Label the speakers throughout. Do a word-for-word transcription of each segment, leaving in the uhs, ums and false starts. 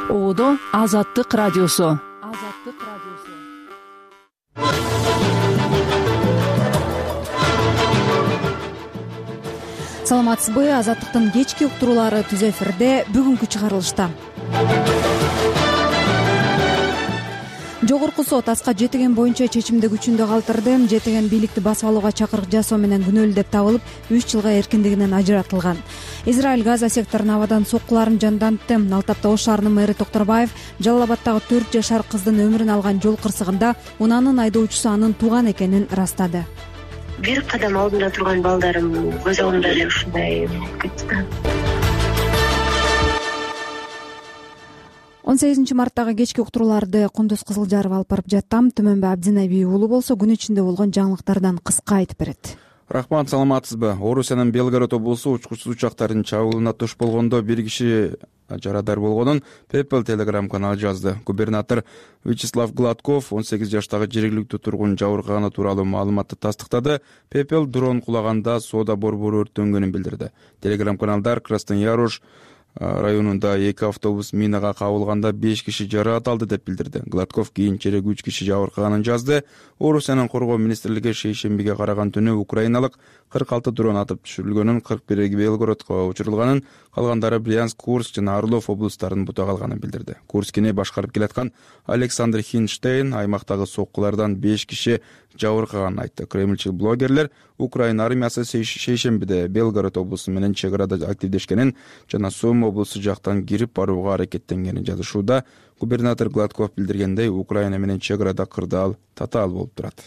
Speaker 1: Оодо Азаттык радиосу.
Speaker 2: Азаттык радиосу. Саламатсызбы? Азаттыктын кечки уктуруулары түз эфирде бүгүнкү чыгарылышта. Жогорку сот Аскат Жетиген боюнча чечимди күчүндө калтырды. Жетиген бийликти басып алууга чакырык жасоо менен күнөөлүү деп табылып, үч жылга эркиндигинен ажыратылган. Израиль Газа секторуна абадан соккуларын жандантты. Ал тапта Ош шаарынын мэрі Токторбаев Жалал Абадтагы төрт жашар кыздын өмүрүн алган жол кырсыгында унаанын айдоочусу анын тууган экенин ырастады.
Speaker 3: Бир кадам алдында турган балдарым көз алдымда эле ушундай кетти.
Speaker 2: он сегизинчи марттагы кечки уктурууларды Кундуз Кызылжаров алып барып жаттам. Түмөнбү Абдинаби уулу болсо күн ичинде болгон жаңылыктардан кыска айтып берет.
Speaker 4: Рахмат, саламатсызбы? Орусиянын Белгород облусу учкучсуз учактардын чабуулуна туш болгондо бир киши жарадар болгонун People Telegram каналы жазды. Губернатор Вячеслав Гладков он сегиз жаштагы жергиликтүү тургун жабыркаганы тууралуу маалыматты тастыктады. People дрон кулаганда соода борбору өрттөнгөнүн билдирди. Telegram каналдар Краснояруш районунда эки автобус минага кабылганда беш киши жаракат алды деп билдирди. Гладков кийинчерээк үч киши жабыркаганын жазды. Орусиянын коргоо министрлиги шейшембиге караган түнү украиналык кырк алты дрон атып түшүрүлгөнүн, кырк бири Белгородко учурулганын, калгандары Брянск, Курск жана Орлов облустарынын бута калганын билдирди. Курскини башкарып келаткан Александр Хинштейн аймактагы соккулардан беш киши жабыркаганын айтты. Кремльчил блогерлер Украина армиясы шейшембиде Белгород облусу менен чек арада активдешкенин жана Сум облусу жактан кирип барууга аракеттенгенин жазышууда. Губернатор Гладков билдиргендей, Украина менен чек арада кырдаал татаал болуп турат.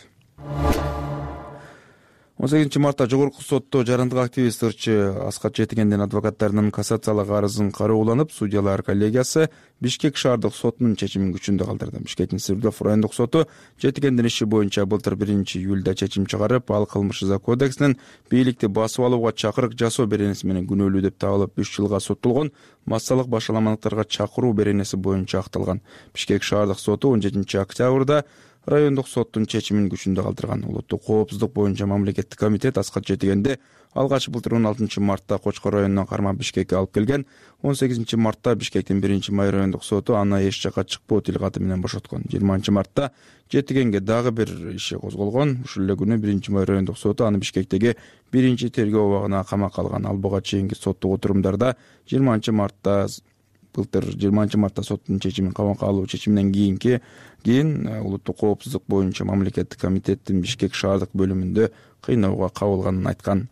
Speaker 4: он сегизинчи мартта жогорку сотто жарандык активист ырчы Аскат Жетигендин адвокаттарынын кассациялык арызын карооланып, судьялар коллегиясы Бишкек шаардык сотунун чечимин күчүндө калтырды. Бишкектин Свердлов райондук соту Жетигендин иши боюнча былтыр биринчи июлда чечим чыгарып, ал кылмыш жаза кодексинин бийликти басып алууга чакырык жасоо беренеси менен күнөөлүү деп табылып үч жылга соттолгон массалык башаламалыктарга чакыруу беренеси боюнча акталган. Бишкек шаардык соту он жетинчи октябрда райондук соттун чечимин күчүндө калтырган. Улуттук коопсуздук боюнча мамлекеттик комитет Аскат Жетигенди алгач былтыр он алтынчы мартта Кочкор районунан кармап Бишкекке алып келген. он сегизинчи мартта Бишкектин биринчи май райондук соту аны эч жакка чыкпоо тилкаты менен бошоткон. жыйырманчы мартта Жетигенге дагы бир иши козголгон. Ушул эле күнү биринчи май райондук соту аны Бишкектеги биринчи тергөө абагына камакка алган. Ал буга чейинки соттук отурумдарда жыйырманчы мартта былтыр жыйырманчы мартта соттун чечимин камакка алуу чечиминен кийинки кийин улуттук коопсуздук боюнча мамлекеттик комитеттин Бишкек шаардык бөлүмүндө кыйноого кабылганын айткан.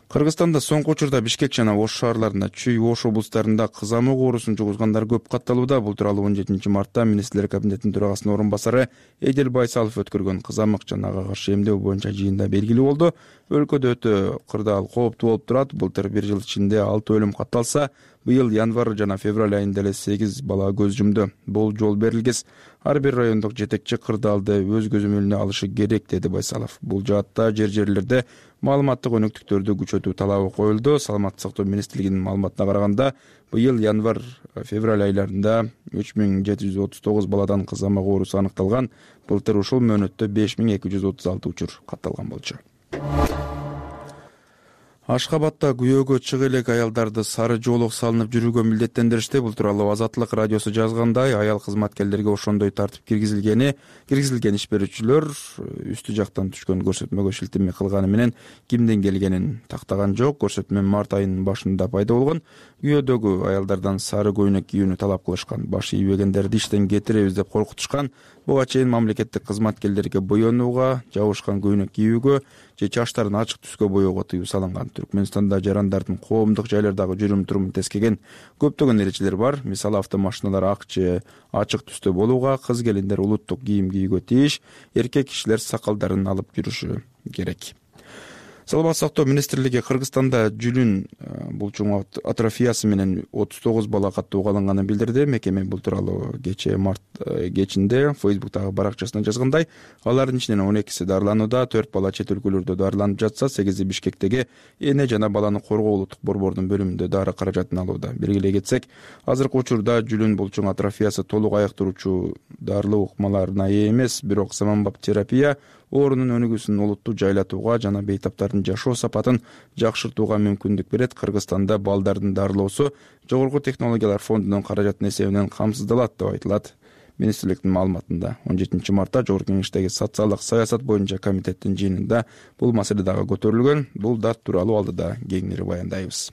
Speaker 4: Кыргызстанда соңку учурда Бишкек жана Ош шаарларында, Чүй, Ош облустарында кызамык оорусун жугузгандар көп катталууда. Бул тууралуу он жетинчи мартта министрлер кабинетинин төрагасынын орун басары Эдил Байсалов өткөргөн кызамык жана ага каршы эмдөө боюнча жыйында белгилүү болду. Өлкөдө өтө кырдаал кооптуу болуп турат. Былтыр бир жыл ичинде алты өлүм катталса, быйыл январь жана февраль айында эле сегиз бала көз жумду. Бул жол берилгес. Ар бир райондук жетекчи кырдаалды өз көзөмөлүнө алышы керек, деди Байсалов. Бул жаатта жер-жерлерде маалыматтык өнөктүктөрдү күчөтүү талабы коюлду. Саламаттык сактоо министрлигинин маалыматына караганда, быйыл январь февраль айларында үч миң жети жүз отуз тогуз баладан кызамык оорусу аныкталган. Былтыр ушул мөөнөттө беш миң эки жүз отуз алты учур катталган болчу. Ашхабадта күйөөгө чыга элек аялдарды сары жоолок салынып жүрүүгө милдеттендиришти. Бул тууралуу Азаттык радиосу жазгандай, аял кызматкерлерге ошондой тартип киргизилгени, киргизилген иш берүүчүлөр үстү жактан түшкөн көрсөтмөгө шилтеме кылганы менен кимден келгенин тактаган жок. Көрсөтмө март айынын башында пайда болгон. Күйөөдөгү аялдардан сары көйнөк кийүүнү талап кылышкан. Баш ийбегендерди иштен кетиребиз деп коркутушкан. Буга чейин мамлекеттик кызматкерлерге боенууга, жабышкан көйнөк кийүүгө же чачтарын ачык түскө боёого тыюу салынган. Түркмөнстанда жарандардын коомдук жайлардагы жүрүм турумун тескеген көптөгөн эрежелер бар. Мисалы, автомашиналар ак же ачык түстө болууга, кыз келиндер улуттук кийим кийүүгө тийиш, эркек кишилер сакалдарын алып жүрүшү керек. Саламаттык сактоо министрлиги Кыргызстанда жүлүн булчуң атрофиясы менен отуз тогуз бала каттоого алынганын билдирди. Мекеме бул тууралуу кечээ март кечинде Facebook'тагы баракчасына жазгандай, алардын ичинен он экиси дарыланууда, төрт бала чет өлкөлөрдө дарыланып жатса, сегизи Бишкектеги эне жана баланы коргоо улуттук борбордун бөлүмүндө дары каражатын алууда. Белгилей кетсек, азыркы учурда жүлүн булчуң атрофиясы толук айыктыруучу дарылуу ыкмаларына ээ эмес, бирок заманбап терапия оорунун өнүгүүсүн олуттуу жайлатууга жана бейтаптардын жашоо сапатын жакшыртууга мүмкүндүк берет. Кыргызстанда балдардын дарылоосу Жогорку технологиялар фондунун каражатынын эсебинен камсыздалат деп айтылат. Министрликтин маалыматында он жетинчи мартта Жогорку Кеңештеги социалдык саясат боюнча комитеттин жыйынында бул маселе дагы көтөрүлгөн. Бул дат тууралуу алдыда кеңири баяндайбыз.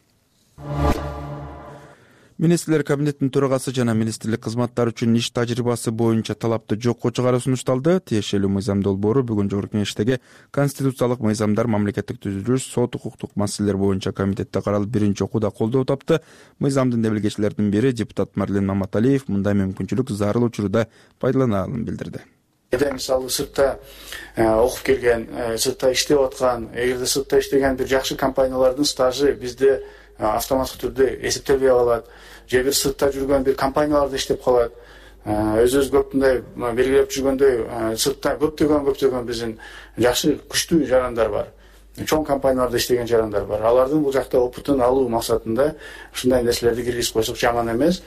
Speaker 4: Министрлер кабинетинин төрагасы жана министрлик кызматтары үчүн иш тажрыйбасы боюнча талапты жокко чыгаруу сунушталды. Тиешелүү мыйзам долбоору бүгүн Жогорку Кеңештеги конституциялык мыйзамдар, мамлекеттик түзүлүш, сот укуктук маселелер боюнча комитетте каралып биринчи окууда колдоо тапты. Мыйзамдын демилгечилеринин бири депутат Марлен Маматалиев мындай мүмкүнчүлүк зарыл учурда пайдаланаларын билдирди.
Speaker 5: Эгер мисалы сыртта окуп келген, сыртта иштеп аткан, эгерде сыртта иштеген бир жакшы компаниялардын стажы бизде автоматтык түрдө эсептелбей калат. Же бир сыртта жүргөн бир компанияларда иштеп калат. Өзүбүз көптүндөй белгилеп жүргөндөй сыртта көптөгөн көптөгөн биздин жакшы күчтүү жарандар бар. Чоң компанияларда иштеген жарандар бар. Алардын бул жакта опытын алуу максатында ушундай нерселерди киргизип койсок жаман эмес,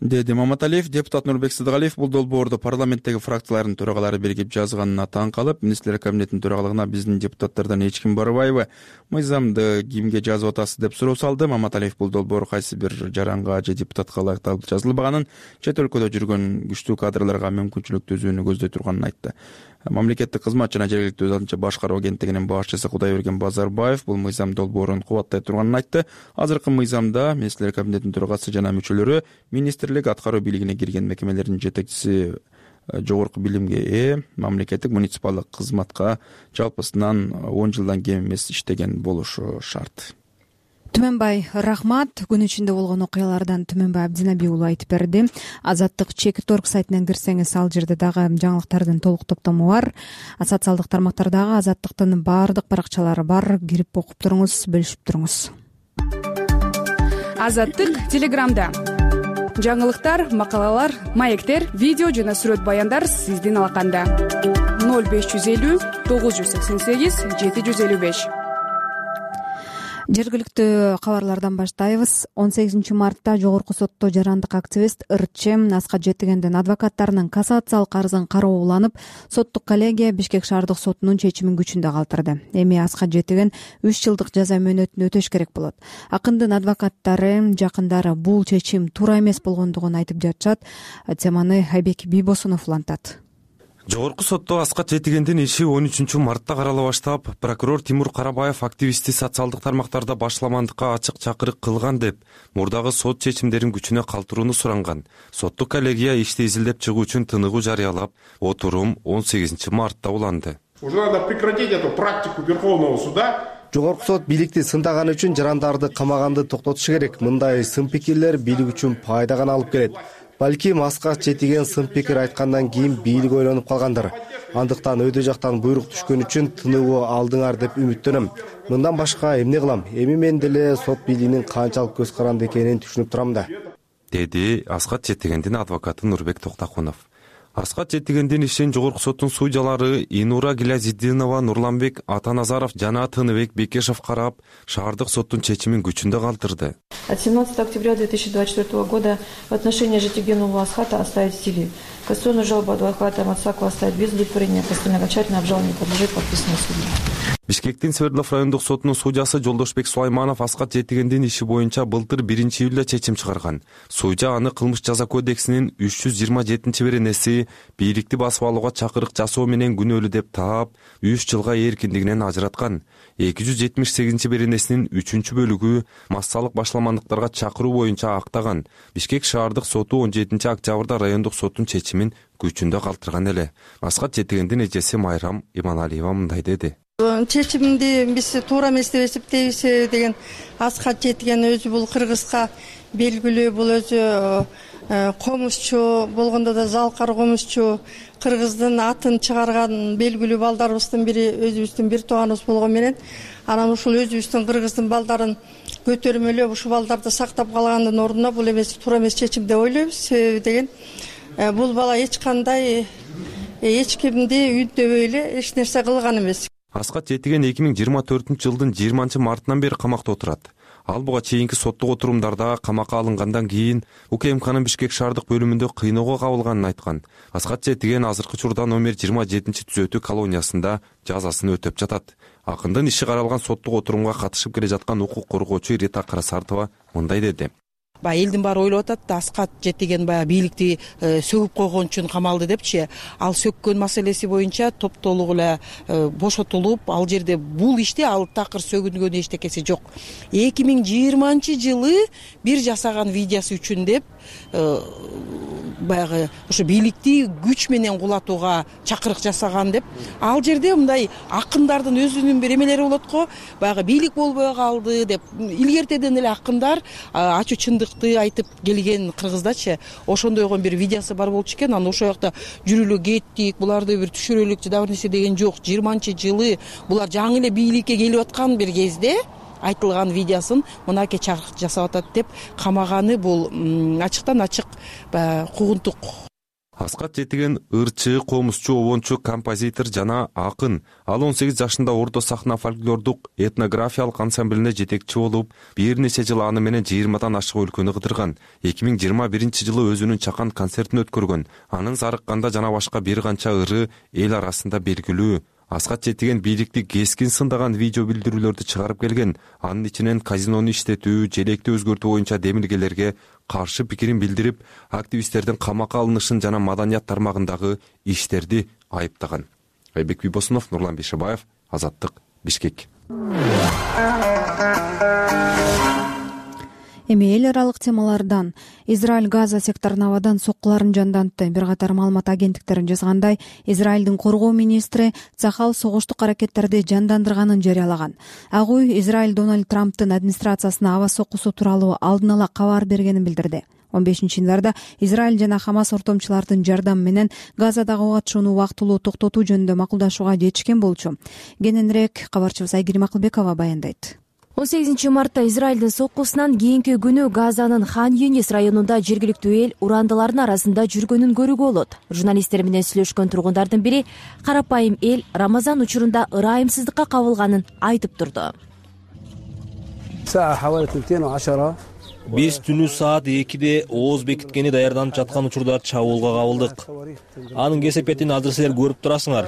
Speaker 4: деди Маматалиев. Депутат Нурбек Сыдыгалиев бул долбоорду парламенттеги фракциялардын төрагалары биригип жазганына таң калып, министрлер кабинетинин төрагалыгына биздин депутаттардан эч ким барбайбы, мыйзамды кимге жазып атасыз деп суроо салды. Маматалиев бул долбоор кайсы бир жаранга же депутатка ылайыкталып жазылбаганын, чет өлкөдө жүргөн күчтүү кадрларга мүмкүнчүлүк түзүүнү көздөй турганын айтты. Мамлекеттик кызмат жана жергиликтүү өзүнчө башкаруу агенттигинин башчысы Кудайберген Базарбаев бул мыйзам долбоорун кубаттай турганын айтты. Азыркы мыйзамда министрлер кабинетинин төрагасы жана мүчөлөрү министрлик аткаруу бийлигине кирген мекемелердин жетекчиси жогорку билимге ээ, мамлекеттик муниципалдык кызматка жалпысынан он жылдан кем эмес иштеген болушу шарт.
Speaker 2: Түмөнбай рахмат. Күн ичинде болгон окуялардан Түмөнбай Абдинаби уулу айтып берди. Азаттык чек торг сайтынан кирсеңиз, ал жерде дагы жаңылыктардын толук топтому бар. Социалдык тармактардагы Азаттыктын баардык баракчалары бар. Кирип окуп туруңуз, бөлүшүп туруңуз.
Speaker 1: Азаттык Телеграмда. Жаңылыктар, макалалар, маектер, видео жана сүрөт баяндар сиздин алаканда. ноль беш жүз элүү тогуз жүз сексен сегиз жети жүз элүү беш.
Speaker 2: Жергиликтүү кабарлардан баштайбыз. он сегизинчи мартта Жогорку сотто жарандык активист Ырчы Аскат Жетигендин адвокаттарынын кассациялык арызын кароо уланып, соттук коллегия Бишкек шаардык сотунун чечимин күчүндө калтырды. Эми Аскат Жетиген үч жылдык жаза мөөнөтүн өтөш керек болот. Акындын адвокаттары жакындары бул чечим туура эмес болгондугун айтып жатышат. Теманы Айбек Бийбосунов улантат.
Speaker 6: Жогорку сотто Аскат Жетигендин иши он үчүнчү мартта карала баштап, прокурор Тимур Карабаев активистти социалдык тармактарда башламандыкка ачык чакырык кылган деп мурдагы сот чечимдерин күчүнө калтырууну суранган. Соттук коллегия ишти изилдеп чыгуу үчүн тыныгуу жарыялап, отурум он сегизинчи мартта уланды.
Speaker 7: Уже надо прекратить эту практику Верховного суда.
Speaker 8: Жогорку сот бийликти сындаганы үчүн жарандарды камаганды токтотушу керек. Мындай сын пикирлер бийлик үчүн пайда гана алып келет. Балким Аскат Жетиген сын пикир айткандан кийин бийлик ойлонуп калгандыр. Андыктан өйдө жактан буйрук түшкөн үчүн тыныгуу алдыңар деп үмүттөнөм. Мындан башка эмне кылам? Эми мен деле сот бийлигинин канчалык көз каранды экенин түшүнүп турам да,
Speaker 6: деди Аскат Жетигендин адвокаты Нурбек Токтакунов. Аскат Жетигендин ишин Жогорку соттун судьялары Инура Гилязиддинова, Нурланбек Атаназаров жана Тыныбек Бекешев карап, шаардык соттун чечимин күчүндө калтырды.
Speaker 9: От семнадцатого октября две тысячи двадцать четвёртого года в отношении Жетигенова Асхата оставить в силе. Кассационную жалобу адвоката Мацакова оставить без удовлетворения. Кассационное окончательное обжалование подлежит подписанной судьей.
Speaker 6: Бишкектин Свердлов райондук сотунун судьясы Жолдошбек Сулайманов Аскат Жетигендин иши боюнча былтыр биринчи июлда чечим чыгарган. Судья аны кылмыш жаза кодексинин үч жүз жыйырма жетинчи беренеси бийликти басып алууга чакырык жасоо менен күнөөлүү деп таап, үч жылга эркиндигинен ажыраткан. эки жүз жетимиш сегизинчи беренесинин үчүнчү бөлүгү массалык башламандыктарга чакыруу боюнча актаган. Бишкек шаардык соту он жетинчи октябрда райондук соттун чечимин күчүндө калтырган эле. Аскат Жетигендин эжеси Майрам Иманалиева мындай деди.
Speaker 10: Чечимди биз туура эмес деп эсептейбиз деген Аскат Жетиген өзү бул кыргызга белгилүү, бул өзү комузчу, болгондо да залкар комузчу, кыргыздын атын чыгарган белгилүү балдарыбыздын бири, өзүбүздүн бир тууганыбыз болгон менен, анан ушул өзүбүздүн кыргыздын балдарын көтөрмөлөп, ушул балдарды сактап калгандын ордуна бул эмес туура эмес чечим деп ойлойбуз. Себеби деген бул бала эч кандай эч кимди үндөбөй эле эч нерсе кылган эмес.
Speaker 6: Аскат Жетиген эки миң жыйырма төртүнчү жылдын жыйырманчы мартынан бери камакта отурат. Ал буга чейинки соттук отурумдарда камакка алынгандан кийин УКМКнын Бишкек шаардык бөлүмүндө кыйноого кабылганын айткан. Аскат Жетиген азыркы учурда номер жыйырма жетинчи түзөтүү колониясында жазасын өтөп жатат. Акындын иши каралган соттук отурумга катышып келе жаткан укук коргоочу Рита Карасартова мындай деди.
Speaker 11: Баягы элдин баары ойлоп атат да, Аскат Жетиген баягы бийликти сөгүп койгон үчүн камалды депчи. Ал сөккөн маселеси боюнча топтолук эле бошотулуп, ал жерде бул иште ал такыр сөгүнгөн эчтекеси жок. эки миң жыйырманчы жылы бир жасаган видеосу үчүн деп баягы ошо бийликти күч менен кулатууга чакырык жасаган деп. Ал жерде мындай акындардын өзүнүн бир эмелери болот го, баягы бийлик болбой калды деп илгертеден эле акындар ачуу чындыкты айтып келген Кыргыздачы. Ошондойгон бир видеосу бар болчу экен. Аны ошол жакта жүрүлө кеттик, буларды бир түшүрөлүк жада бир нерсе деген жок. жыйырманчы жылы булар жаңы эле бийликке келип аткан бир кезде айтылган видеосын мынакей чакырык жасап атат деп камаганы бул ачыктан ачык куугунтук.
Speaker 6: Аскат Жетиген ырчы, комузчу, обончу, композитор жана акын. Ал он сегиз жашында Ордо сахна фольклордук этнографиялык ансамблине жетекчи болуп, бир нече жыл аны менен жыйырмадан ашык өлкөнү кыдырган. эки миң жыйырма биринчи жылы өзүнүн чакан концертин өткөргөн. Анын Зарыкканда жана башка бир канча ыры эл арасында белгилүү. Аскат Жетиген бийликти кескин сындаган видео билдирүүлөрдү чыгарып келген. Анын ичинен казинону иштетүү, желекти өзгөртүү боюнча демилгелерге каршы пикирин билдирип, активисттердин камакка алынышын жана маданият тармагындагы иштерди айыптаган. Айбек Бибосунов, Нурлан Бейшебаев, Азаттык, Бишкек.
Speaker 2: Эми эл аралык темалардан Израиль Газа секторун абадан соккуларын жандантты. Бир катар маалымат агенттиктери жазгандай, Израилдин коргоо министри Цахал согуштук аракеттерди жандандырганын жарыялаган. Ак үй Израиль Дональд Трамптын администрациясына аба соккусу тууралуу алдын ала кабар бергенин билдирди. он бешинчи январда Израиль жана Хамас ортомчулардын жардамы менен Газадагы ок атышууну убактылуу токтотуу жөнүндө макулдашууга жетишкен болчу. Кененирээк кабарчыбыз Айгерим Акылбекова баяндайт.
Speaker 12: он сегизинчи мартта Израилдин соккусунан кийинки күнү Газанын Хан Юнис районунда жергиликтүү эл урандылардын арасында жүргөнүн көрүүгө болот. Журналисттер менен сүйлөшкөн тургундардын бири карапайым эл Рамазан учурунда ырайымсыздыкка кабылганын айтып турду.
Speaker 13: Биз түнү саат экиде ооз бекиткени даярданып жаткан учурда чабуулга кабылдык. Анын кесепетин азыр силер көрүп турасыңар.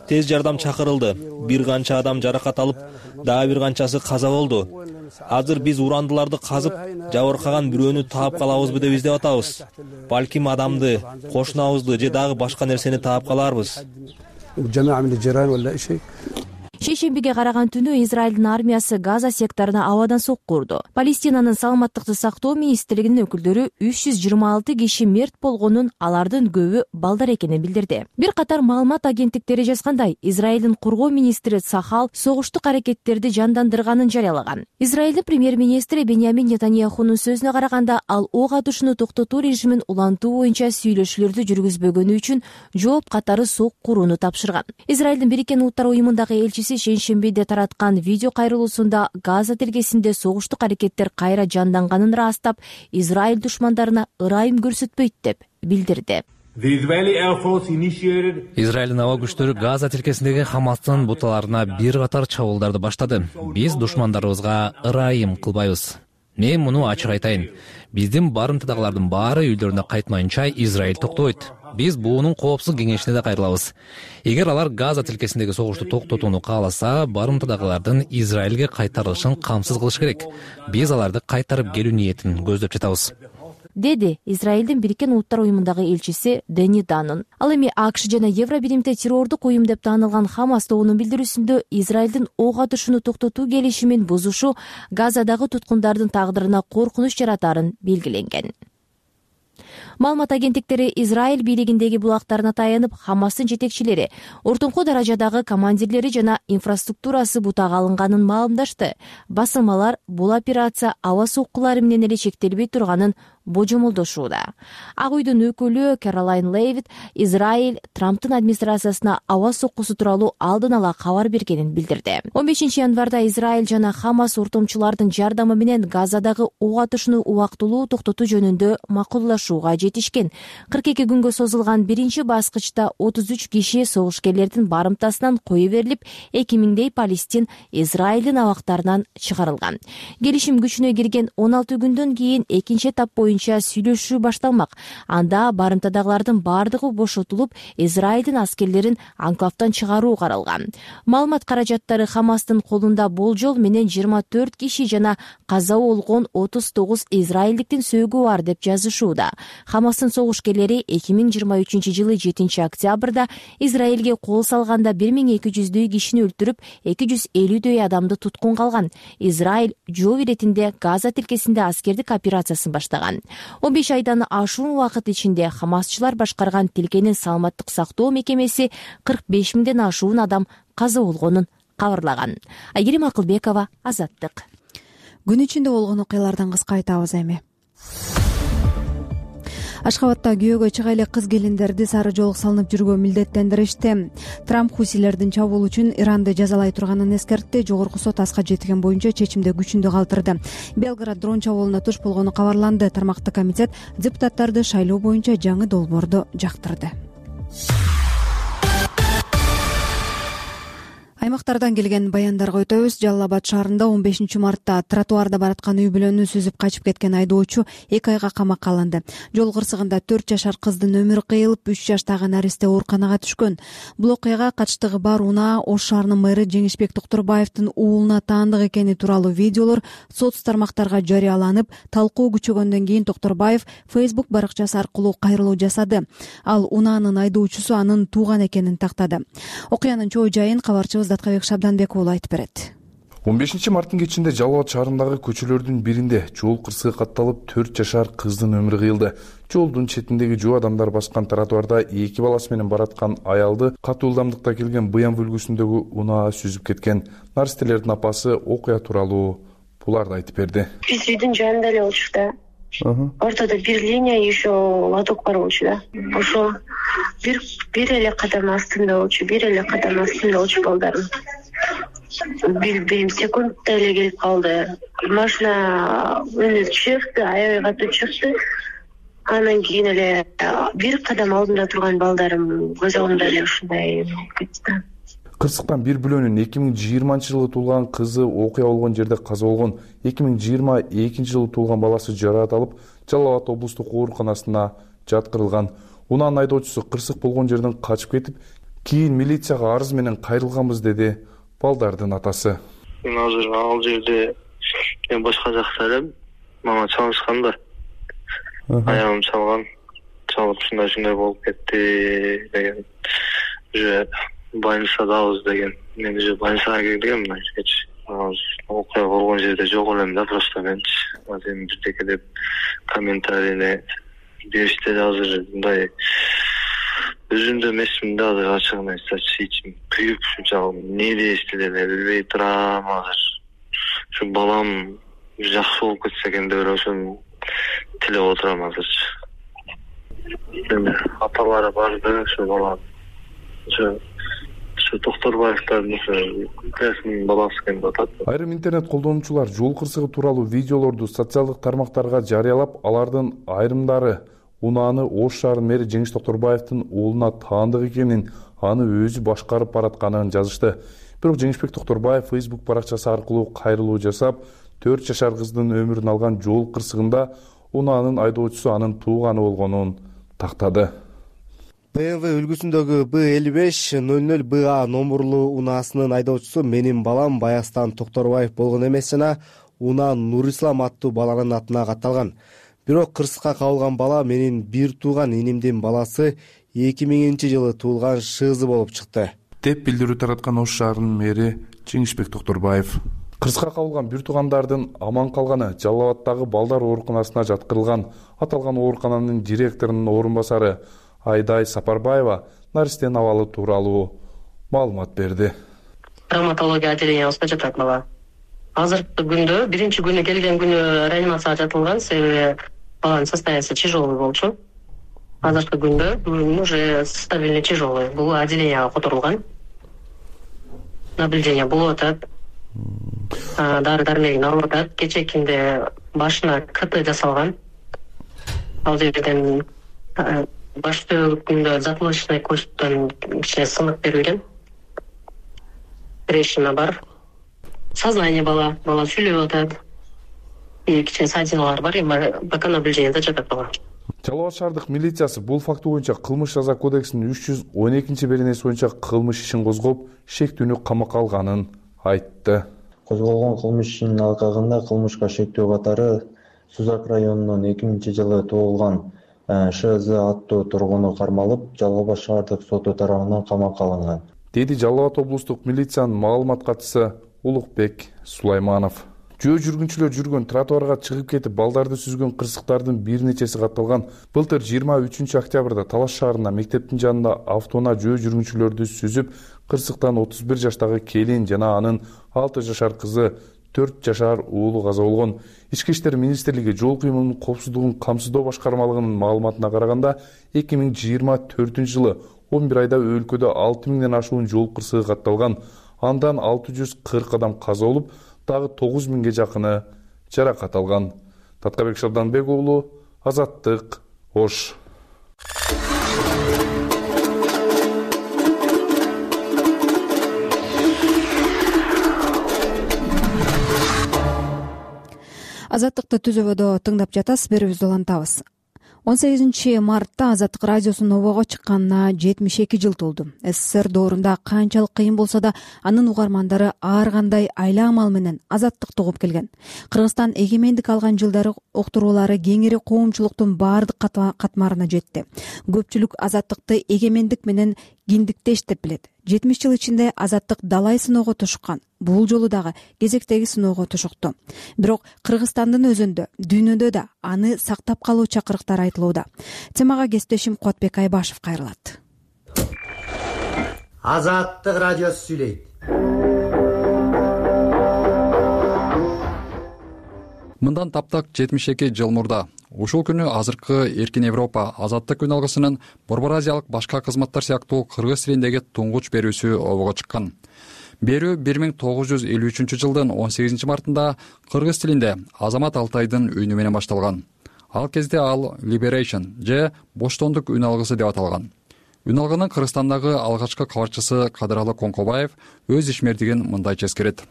Speaker 13: Тез жардам чакырылды. Бир канча адам жаракат алып, дагы бир канчасы каза болду. Азыр биз урандыларды казып, жабыркаган бирөөнү таап калабызбы деп издеп атабыз. Балким адамды, кошунабызды же дагы башка нерсени таап каларбыз.
Speaker 12: Шейшембиге караган түнү Израилдин армиясы Газа секторуна абадан сокку урду. Палестинанын саламаттыкты сактоо министрлигинин өкүлдөрү үч жүз жыйырма алты киши мерт болгонун, алардын көбү балдар экенин билдирди. Бир катар маалымат агенттиктери жазгандай, Израилдин коргоо министри Цахал согуштук аракеттерди жандандырганын жарыялаган. Израилдин премьер-министри Беньямин Нетаньяхунун сөзүнө караганда, ал ок атышууну токтотуу режимин улантуу боюнча сүйлөшүүлөрдү жүргүзбөгөнү үчүн жооп катары сокку курууну тапшырган. Израилдин Бириккен Улуттар уюмундагы элчиси шейшембиде тараткан видео кайрылуусунда Газа тилкесинде согуштук аракеттер кайра жанданганын ырастап, Израиль душмандарына ырайым көрсөтпөйт деп билдирди.
Speaker 14: Израилдин аба күчтөрү Газа тилкесиндеги Хамастын буталарына бир катар чабуулдарды баштады. Биз душмандарыбызга ырайым кылбайбыз. Мен муну ачык айтайын. Биздин барымтадагылардын баары үйлөрүнө кайтмайынча Израиль токтойт. Биз буунун коопсуз кеңешине да кайрылабыз. Эгер алар Газа тилкесиндеги согушту токтотууну кааласа, барымтадагылардын Израилге кайтарылышын камсыз кылыш керек. Биз аларды кайтарып келүү ниетин көздөп жатабыз,
Speaker 12: деди Израилдин Бириккен Улуттар уюмундагы элчиси Дени Данн. Ал эми АКШ жана Евробиримде террордук уюм деп таанылган Хамас тобунун билдирүүсүндө Израилдин ок атышууну токтотуу келишимин бузушу Газадагы туткундардын тагдырына коркунуч жаратаарын белгиленген. Маалымат агенттиктери Израиль бийлигиндеги булактарына таянып, Хамастын жетекчилери, ортоңку даражадагы командирлери жана инфраструктурасы бутага алынганын маалымдашты. Басылмалар бул операция аба соккулары менен эле чектелбей турганын божомолдошууда. Ак үйдүн өкүлү Кэролайн Левит Израиль Трамптын администрациясына аба соккусу тууралуу алдын ала кабар бергенин билдирди. он бешинчи январда Израиль жана Хамас ортомчулардын жардамы менен Газадагы ок атышууну убактылуу токтотуу жөнүндө макулдашууга жетишкен. кырк эки күнгө созулган биринчи баскычта отуз үч киши согушкерлердин барымтасынан кое берилип, эки миңдей палестин Израилдин абактарынан чыгарылган. Келишим күчүнө кирген он алты күндөн кийин экинчи этап боюнча сүйлөшүү башталмак. Анда барымтадагылардын бардыгы бошотулуп, Израилдин аскерлерин анклавдан чыгаруу каралган. Маалымат каражаттары Хамастын колунда болжол менен жыйырма төрт киши жана каза болгон отуз тогуз израилдиктин сөөгү бар деп жазышууда. Хамастын согушкерлери эки миң жыйырма үчүнчү жылы жетинчи октябрда Израилге кол салганда бир миң эки жүздөй кишини өлтүрүп, эки жүз элүүдөй адамды туткун калган. Израиль жоо иретинде Газа тилкесинде аскердик операциясын баштаган. он беш айдан ашуун убакыт ичинде Хамасчылар башкарган тилкенин саламаттык сактоо мекемеси кырк беш миңден ашуун адам каза болгонун кабарлаган. Айгерим Акылбекова, Азаттык.
Speaker 2: Күн ичинде болгон окуялардан кыска айтабыз эми. Ашхабадда күйөөгө чыга эле кыз келиндерди сары жоолук салынып жүрүүгө милдеттендиришти. Трамп хусилердин чабуул үчүн Иранды жазалай турганын эскертти. Жогорку сот аска жеткен боюнча чечимди күчүндө калтырды. Белград дрон чабуулуна туш болгону кабарланды. Тармактык комитет депутаттарды шайлоо боюнча жаңы долбоорду жактырды. Аймактардан келген баяндарга өтөбүз. Жалал Абад шаарында он бешинчи мартта тротуарда бараткан үй бүлөнү сүзүп качып кеткен айдоочу эки айга камакка алынды. Жол кырсыгында төрт жашар кыздын өмүрү кыйылып, үч жаштагы наристе ооруканага түшкөн. Бул окуяга катыштыгы бар унаа Ош шаарынын мэрі Жеңишбек Токторбаевдин уулуна таандык экени тууралуу видеолор соц тармактарга жарыяланып, талкуу күчөгөндөн кийин Токторбаев Facebook баракчасы аркылуу кайрылуу жасады. Ал унаанын айдоочусу анын тууган экенин тактады. Окуянын чоо жайын кабарчыбыз Даткабек Шабданбек уулу айтып берет.
Speaker 15: он бешинчи марттын кечинде Жалал Абад шаарындагы көчөлөрдүн биринде жол кырсыгы катталып, төрт жашар кыздын өмүрү кыйылды. Жолдун четиндеги жөө адамдар баскан тротуарда эки баласы менен бараткан аялды катуу ылдамдыкта келген Быян үлгүсүндөгү унаа сүзүп кеткен. Наристелердин апасы окуя тууралуу буларды айтып берди.
Speaker 3: Биз үйдүн жанында эле болчук да. Ортодо бир линия, еще лоток бар болчу да. Ошо бир бир эле кадам астында болчу, бир эле кадам астында болчу балдарым. Бир секундда эле келип калды. Машина өнү чыкты, аябай катуу чыкты. Анан кийин эле бир кадам алдында турган балдарым көз алдымда эле ушундай болуп кетти.
Speaker 15: Кырсыктан бир бүлөнүн эки миң жыйырманчы жылы туулган кызы окуя болгон жерде каза болгон. эки миң жыйырма экинчи жылы туулган баласы жараат алып, Жалал Абад облустук ооруканасына жаткырылган. Унаанын айдоочусу кырсык болгон жерден качып кетип, кийин милицияга арыз менен кайрылганбыз, деди балдардын атасы.
Speaker 16: Мен азыр ал жерде мен башка жакта элем. Мага чалышкан да. Аягым чалган. Чалып ушундай ушундай болуп кетти деген. Уже больницадабыз деген. Мен уже больницага кирдим мына кечээ. Окуя болгон жерде жок элем да, просто менчи. Азыр бирдеке деп комментарийни беришти да, азыр мындай өзүмдө эмесмин да, азыр ачыгын айтсачы, ичим күйүп ушунчалык эмне дешти деп билбей турам азыр. Ушу балам жакшы болуп кетсе экен деп ошону тилеп отурам азырчы. Апалары барды ушу бала. Ушу Токторбаевдин кызынын баласы экен деп атат.
Speaker 15: Айрым интернет колдонуучулар жол кырсыгы тууралуу видеолорду социалдык тармактарга жарыялап, алардын айрымдары унааны Ош шаарынын мэри Жеңиш Токторбаевдин уулуна таандык экенин, аны өзү башкарып баратканын жазышты. Бирок Жеңишбек Токторбаев Facebook баракчасы аркылуу кайрылуу жасап, төрт жашар кыздын өмүрүн алган жол кырсыгында унаанын айдоочусу анын тууганы болгонун тактады.
Speaker 8: бэ эм вэ үлгүсүндөгү Б элүү беш ноль ноль Б А номурлуу унаасынын айдоочусу менин балам Баястан Токторбаев болгон эмес жана унаа Нурислам аттуу баланын атына катталган. Бирок кырсыкка кабылган бала менин бир тууган инимдин баласы эки миңинчи жылы туулган шызы болуп чыкты,
Speaker 15: деп билдирүү тараткан Ош шаарынын мэри Жеңишбек Токторбаев. Кырсыкка кабылган бир туугандардын аман калганы Жалал Абаддагы балдар ооруканасына жаткырылган. Аталган оорукананын директорунун орун басары Айдай Сапарбаева наристенин абалы тууралуу маалымат берди.
Speaker 17: Травматология отделениябызга жатат бала. Азыркы күндө биринчи күнү келген күнү реанимацияга жатылган, себеби баланын состояниясы тяжелый болчу. Азыркы күндө уже стабильно тяжелый. Бул отделенияга которулган. Наблюдение болуп атат. Дары дармегин алып атат. Кечекинде башына КТ жасалган. Ал жерден баш төбүндө затылочный косттон кичине сынык берилген. Трещина бар. Сознание бала, бала сүйлөп атат. И кичине ссадиналар бар, эми пока наблюдениеде жатат бала.
Speaker 15: Жалал Абад шаардык милициясы бул факты боюнча кылмыш жаза кодексинин үч жүз он экинчи беренеси боюнча кылмыш ишин козгоп, шектүүнү камакка алганын айтты.
Speaker 18: Козголгон кылмыш ишинин алкагында кылмышка шектөө катары Сузак районунун эки миңинчи жылы туулган ШЗ аттуу тургуну кармалып, Жалал Абад шаардык соту тарабынан камакка алынган,
Speaker 15: деди Жалал Абад облустук милициянын маалымат катчысы Улукбек Сулайманов. Жөө жүргүнчүлөр жүргөн тротуарга чыгып кетип балдарды сүзгөн кырсыктардын бир нечеси катталган. Былтыр жыйырма үчүнчү октябрда Талаш шаарында мектептин жанында автоунаа жөө жүргүнчүлөрдү сүзүп, кырсыктан отуз бир жаштагы келин жана анын алты жашар кызы, төрт жашар уулу каза болгон. Ички иштер министрлиги жол кыймылынын коопсуздугун камсыздоо башкармалыгынын маалыматына караганда, эки миң жыйырма төртүнчү жылы он бир айда өлкөдө алты миңден ашуун жол кырсыгы катталган. Андан алты жүз кырк адам каза болуп, дагы тогуз миңге жакыны жаракат алган. Таткабек Шабданбек уулу, Азаттык, Ош.
Speaker 2: Азаттыкты түзөбөдө тыңдап жатасыз, берүүбүздү улантабыз. он сегизинчи мартта Азаттык радиосунун обого чыкканына жетимиш эки жыл толду. СССР доорунда канчалык кыйын болсо да, анын угармандары ар кандай айла амал менен азаттыкты угуп келген. Кыргызстан эгемендик алган жылдары уктуруулары кеңири коомчулуктун баардык катмарына жетти. Көпчүлүк азаттыкты эгемендик менен киндиктеш деп билет. жетимиш жыл ичинде азаттык далай сыноого тушуккан. Бул жолу дагы кезектеги сыноого тушукту. Бирок Кыргызстандын өзүндө, дүйнөдө да аны сактап калуу чакырыктар айтылууда. Темага кесиптешим Куатбек Айбашев кайрылат.
Speaker 19: Азаттык радиосу сүйлөйт.
Speaker 20: Мындан таптак жетимиш эки жыл мурда ушул күнү азыркы Эркин Европа азаттык күн алгысынын Борбор Азиялык башка кызматтар сыяктуу кыргыз тилиндеги туңгуч берүүсү обого чыккан. Берүү бир миң тогуз жүз элүү үчүнчү жылдын он сегизинчи мартында кыргыз тилинде Азамат Алтайдын үнү менен башталган. Ал кезде ал Liberation же боштондук үн алгысы деп аталган. Үн алгынын Кыргызстандагы алгачкы кабарчысы Кадыралы Конкобаев өз ишмердигин мындайча эскерет.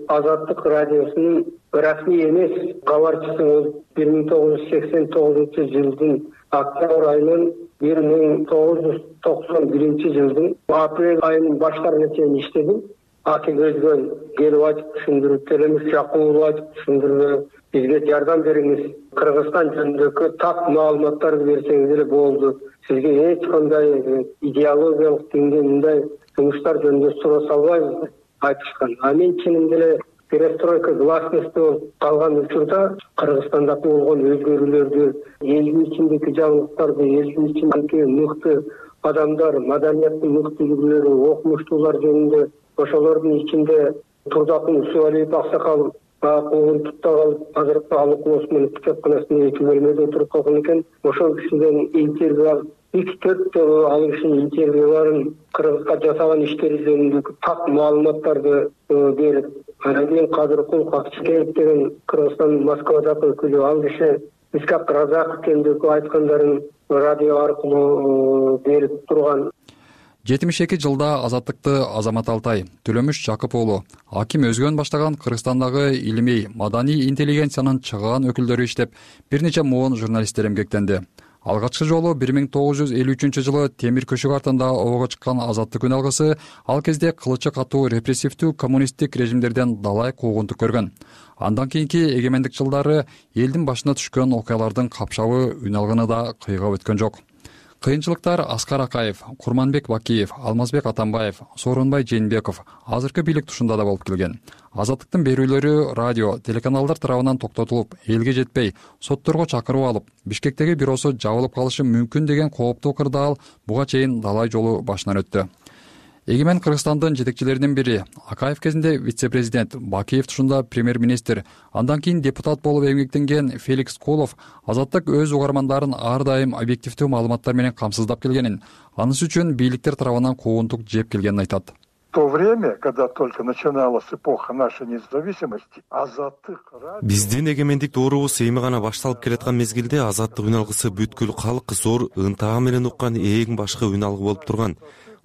Speaker 21: Азаттык радиосунун расмий эмес кабарчысы болуп бир миң тогуз жүз сексен тогузунчу жылдын октябрь айынан бир миң тогуз жүз токсон биринчи жылдын апрель айынын баштарына чейин иштедим. Аты көзгөн келип айтып түшүндүрүп беребиз, жакын айтып түшүндүрүп бизге жардам бериңиз. Кыргызстан жөнүндөгү так маалыматтарды берсеңиз эле болду. Сизге эч кандай идеологиялык деңгээлде жумуштар жөнүндө суроо салбайбыз деп айтышкан. А мен чынында эле перестройка гласности болуп калган учурда Кыргызстандагы болгон өзгөрүүлөрдү, элдин ичиндеги жаңылыктарды, элдин ичиндеги мыкты адамдар, маданияттын мыкты үлгүлөрү, окумуштуулар жөнүндө ошолордун ичинде Турдакын Усубалиев аксакал куугун тутта калып, азыркы ал окуусунун китепканасында эки бөлмөдө отуруп калган экен. Ошол кишиден интервью алып, үч төрт жолу ал кишинин интервьюларын, Кыргызга жасаган иштери жөнүндө так маалыматтарды берип, анан кийин Кадыркул Какчыкеев деген Кыргызстандын Москвадагы өкүлү, ал киши Искак Разаков жөнүндө айткандарын радио аркылуу берип турган.
Speaker 20: жетимиш эки жылда азаттыкты Азамат Алтай, Төлөмүш Жакып уулу, Аким Өзгөн баштаган Кыргызстандагы илимий, маданий интеллигенциянын чыган өкүлдөрү иштеп, бир нече муун журналисттер эмгектенди. Алгачкы жолу бир миң тогуз жүз элүү үчүнчү жылы Темир көшүк артында обого чыккан азаттык күн алгысы ал кезде кылычы катуу репрессивдүү коммунисттик режимдерден далай куугунтук көргөн. Андан кийинки эгемендик жылдары элдин башына түшкөн окуялардын капшабы үн алгыны да кыйгап өткөн жок. Кыйынчылыктар Аскар Акаев, Курманбек Бакиев, Алмазбек Атамбаев, Сооронбай Жээнбеков азыркы бийлик тушунда да болуп келген. Азаттыктын берүүлөрү радио, телеканалдар тарабынан токтотулуп, элге жетпей, сотторго чакырып алып, Бишкектеги бюросу жабылып калышы мүмкүн деген кооптуу ыкырдаал буга чейин далай жолу башынан өттү. Эгемен Кыргызстандын жетекчилеринин бири, Акаев кезинде вице-президент, Бакиев тушунда премьер-министр, андан кийин депутат болуп эмгектенген Феликс Колов Азаттык өз угармандарын ар дайым объективдүү маалыматтар менен камсыздап келгенин, анысы үчүн бийликтер тарабынан куугунтук жеп келгенин айтат.
Speaker 5: В то время, когда только начиналась эпоха нашей независимости, Азаттык
Speaker 6: биздин эгемендик доорубуз эми гана башталып келаткан мезгилде Азаттык үн алгысы бүткүл калк зор ынтаа менен уккан эң башкы үн алгы болуп турган.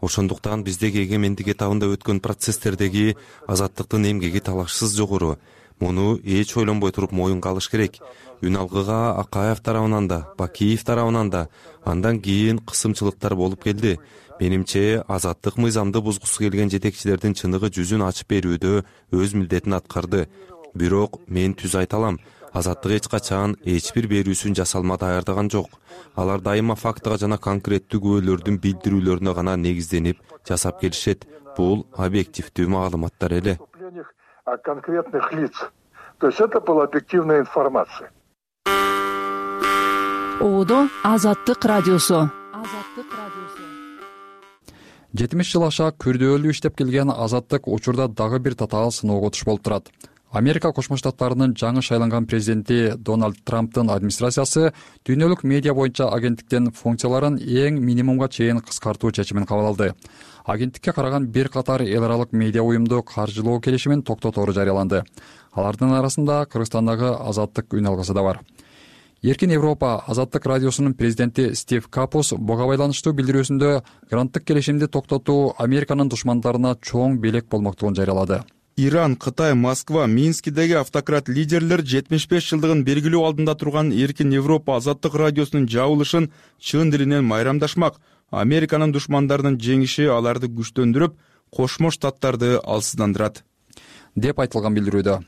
Speaker 6: Ошондуктан биздеги эгемендик этабында өткөн процесстердеги Азаттыктын эмгеги талашсыз жогору. Муну эч ойлонбой туруп моюнга алыш керек. Үн алгыга Акаев тарабынан да, Бакиев тарабынан да андан кийин кысымчылыктар болуп келди. Менимче Азаттык мыйзамды бузгусу келген жетекчилердин чыныгы жүзүн ачып берүүдө өз милдетин аткарды. Бирок мен түз айта алам, Азаттык эч качан эч бир берүүсүн жасалма даярдаган жок. Алар дайыма фактыга жана конкреттүү күбөлөрдүн билдирүүлөрүнө гана негизденип жасап келишет. Бул объективдүү маалыматтар эле.
Speaker 5: О конкретных лиц. То есть это была объективная информация.
Speaker 22: Оодо Азаттык радиосу.
Speaker 20: жетимиш жыл аша күрдөөлүү иштеп келген Азаттык учурда дагы бир татаал сыноого туш болуп турат. Америка Кошмо Штаттарынын жаңы шайланган президенти Дональд Трамптын администрациясы дүйнөлүк медиа боюнча агенттиктин функцияларын эң минимумга чейин кыскартуу чечимин кабыл алды. Агенттикке караган бир катар эл аралык медиа уюмду каржылоо келишимин токтотору жарыяланды. Алардын арасында Кыргызстандагы Азаттык үн алгысы да бар. Эркин Европа Азаттык радиосунун президенти Стив Капус буга байланыштуу билдирүүсүндө гранттык келишимди токтотуу Американын душмандарына чоң белек болмоктугун жарыялады.
Speaker 4: Иран, Кытай, Москва, Минскидеги автократ лидерлер жетимиш беш жылдыгын белгилөө алдында турган Эркин Европа Азаттык радиосунун жабылышын чын дилинен майрамдашмак. Американын душмандарынын жеңиши аларды күчтөндүрүп, Кошмо Штаттарды алсыздандырат
Speaker 20: деп айтылган билдирүүдө.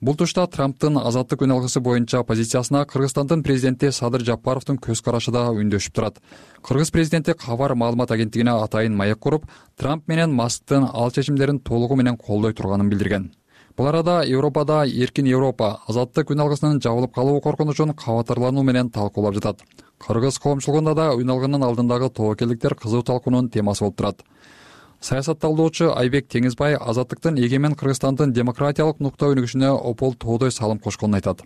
Speaker 20: Бул тушта Трамптын Азаттык үн алгысы боюнча позициясына Кыргызстандын президенти Садыр Жапаровдун көз карашы да үндөшүп турат. Кыргыз президенти Кабар маалымат агенттигине атайын маек куруп, Трамп менен Масктын ал чечимдерин толугу менен колдой турганын билдирген. Бул арада Европада Эркин Европа Азаттык үн алгысынын жабылып калуу коркунучун кабатырлануу менен талкуулап жатат. Кыргыз коомчулугунда да үн алгынын алдындагы тобокелдиктер кызуу талкуунун темасы болуп турат. Саясатталуучу Айбек Теңизбай Азаттыктын эгемен Кыргызстандын демократиялык нукта өнүгүшүнө опол тоодой салым кошконун айтат.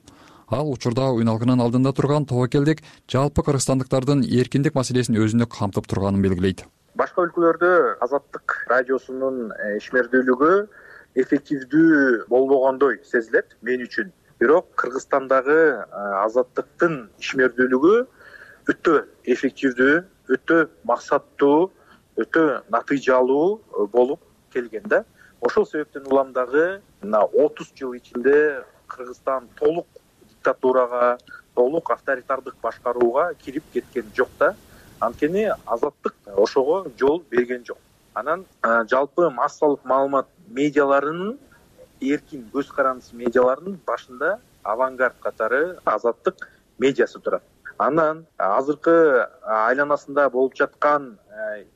Speaker 20: Ал учурда үн алгынын алдында турган тобокелдик жалпы кыргызстандыктардын эркиндик маселесин өзүндө камтып турганын белгилейт.
Speaker 23: Башка өлкөлөрдө Азаттык радиосунун ишмердүүлүгү эффективдүү болбогондой сезилет мен үчүн. Бирок Кыргызстандагы Азаттыктын ишмердүүлүгү өтө эффективдүү, өтө максаттуу, өтө натыйжалуу болуп келген да. Ошол себептен улам дагы отуз жыл ичинде Кыргызстан толук диктатурага, толук авторитардык башкарууга кирип кеткен жок да. Анткени Азаттык ошого жол берген жок. Анан жалпы массалык маалымат медиаларынын, эркин көз карандысы медиаларынын башында авангард катары Азаттык медиасы турат. Анан азыркы айланасында болуп жаткан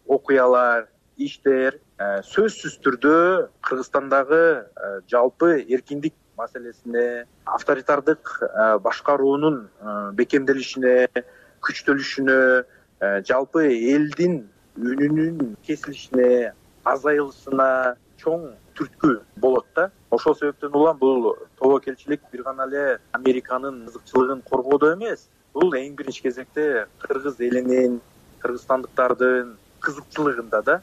Speaker 23: окуялар, иштер сөзсүз түрдө Кыргызстандагы жалпы эркиндик маселесине, авторитардык башкаруунун бекемделишине, күчтөлүшүнө, жалпы элдин үнүнүн кесилишине, азайылышына чоң түрткү болот да. Ошол себептен улам бул тобокелчилик бир гана эле Американын ызыкчылыгын коргоодо эмес, бул эң биринчи кезекте кыргыз элинин, кыргызстандыктардын кызыкчылыгында да.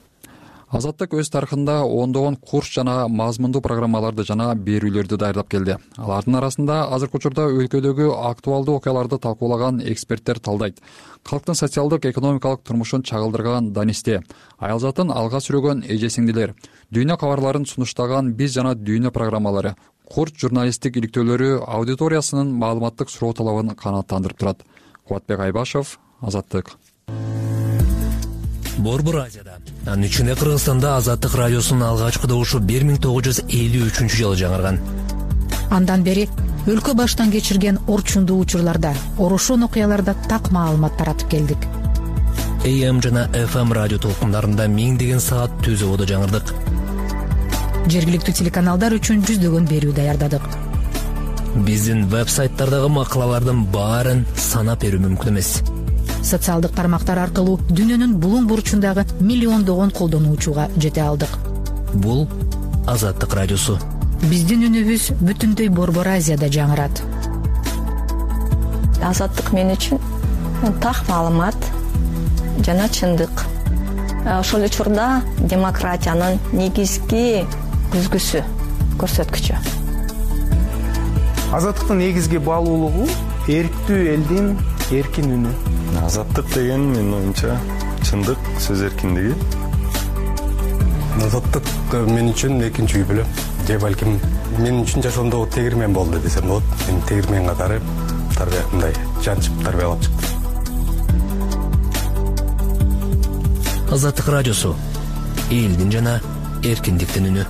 Speaker 20: Азаттык өз тарыхында ондогон курс жана мазмундуу программаларды жана берүүлөрдү даярдап келди. Алардын арасында азыркы учурда өлкөдөгү актуалдуу окуяларды талкуулаган эксперттер талдайт. Калктын социалдык экономикалык турмушун чагылдырган Данисте, аялзатын алга сүрөгөн эже сиңдилер, дүйнө кабарларын сунуштаган Биз жана дүйнө программалары, курс журналисттик иликтөөлөрү аудиториясынын маалыматтык суроо талабын канааттандырып турат. Кубатбек Айбашев, Азаттык.
Speaker 22: Борбор Азияда, анын ичинде Кыргызстанда Азаттык радиосунун алгачкы добушу бир миң тогуз жүз элүү үчүнчү жылы жаңырган.
Speaker 24: Андан бери өлкө баштан кечирген орчундуу учурларда, орушун окуяларда так маалымат таратып келдик.
Speaker 22: А М жана Ф М радио толкундарында миңдеген саат түз ободо жаңырдык.
Speaker 24: Жергиликтүү телеканалдар үчүн жүздөгөн берүү даярдадык.
Speaker 22: Биздин веб-сайттардагы макалалардын баарын санап берүү мүмкүн эмес.
Speaker 24: социалдык тармактар аркылуу дүйнөнүн булуң бурчундагы миллиондогон колдонуучуга жете алдык.
Speaker 22: Бул Азаттык радиосу.
Speaker 24: Биздин үнүбүз бүтүндөй Борбор Азияда жаңырат.
Speaker 1: Азаттык мен үчүн так маалымат жана чындык. Ошол учурда демократиянын негизги күзгүсү, көрсөткүчү.
Speaker 7: Азаттыктын негизги баалуулугу эрктүү элдин эркин үнү.
Speaker 9: Азаттык деген менин оюмча чындык, сөз эркиндиги.
Speaker 10: Азаттык мен үчүн экинчи үй бүлөм. Же балким мен үчүн жашоомдогу тегирмен болду десем болот. Мен тегирмен катары тарбия мындай жанчып тарбиялап чыктым.
Speaker 22: Азаттык радиосу. Элдин жана эркиндиктин үнү.